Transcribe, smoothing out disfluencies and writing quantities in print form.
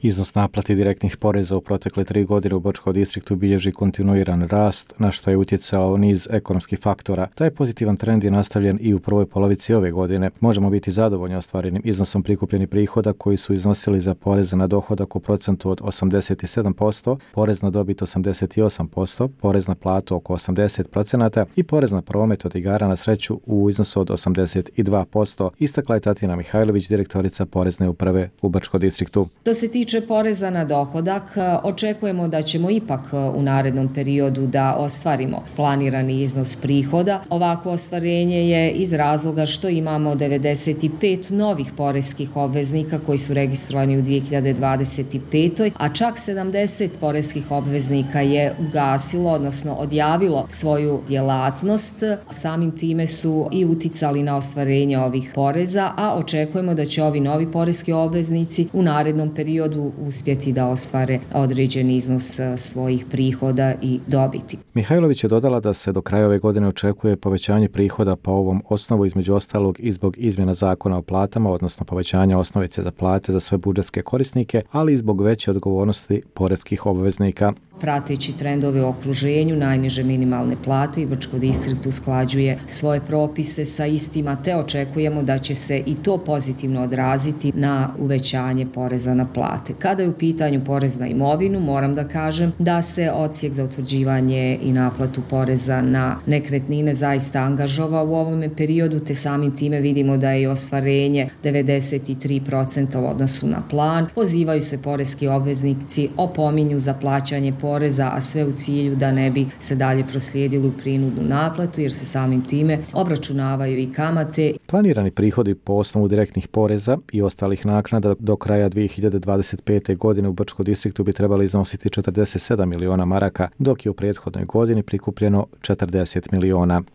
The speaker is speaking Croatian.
Iznos naplati direktnih poreza u protekle 3 godine u Bočkom distriktu bilježi kontinuiran rast, na što je utjecao niz ekonomskih faktora. Taj pozitivan trend je nastavljen i u prvoj polovici ove godine. Možemo biti zadovoljni ostvarenim iznosom prikupljenih prihoda koji su iznosili za porez na dohodak u procentu od 87%, porez na dobit 88%, porez na platu oko 80% i porez na promet od igara na sreću u iznosu od 82%, istakla je Tatjana Mihajlović, direktorica Porezne uprave u Bočkom distriktu. Što se tiče poreza na dohodak, očekujemo da ćemo ipak u narednom periodu da ostvarimo planirani iznos prihoda. Ovakvo ostvarenje je iz razloga što imamo 95 novih poreskih obveznika koji su registrovani u 2025. a čak 70 poreskih obveznika je ugasilo, odnosno odjavilo svoju djelatnost. Samim time su i uticali na ostvarenje ovih poreza, a očekujemo da će ovi novi poreski obveznici u narednom periodu uspjeti da ostvare određeni iznos svojih prihoda i dobiti. Mihajlović je dodala da se do kraja ove godine očekuje povećanje prihoda po ovom osnovu, između ostalog i zbog izmjena zakona o platama, odnosno povećanja osnovice za plate za sve budžetske korisnike, ali i zbog veće odgovornosti poreskih obveznika. Prateći trendove u okruženju, najniže minimalne plate i Bočki distrikt usklađuje svoje propise sa istima, te očekujemo da će se i to pozitivno odraziti na uvećanje poreza na plate. Kada je u pitanju porez na imovinu, moram da kažem da se odsjek za utvrđivanje i naplatu poreza na nekretnine zaista angažovao u ovome periodu, te samim time vidimo da je ostvarenje 93% u odnosu na plan. Pozivaju se poreski obveznici, opominju za plaćanje poreza, a sve u cilju da ne bi se dalje proslijedili u prinudnu naplatu, jer se samim time obračunavaju i kamate. Planirani prihodi po osnovu direktnih poreza i ostalih naknada do kraja 2025. godine u Bočkom distriktu bi trebali iznositi 47 miliona maraka, dok je u prethodnoj godini prikupljeno 40 miliona.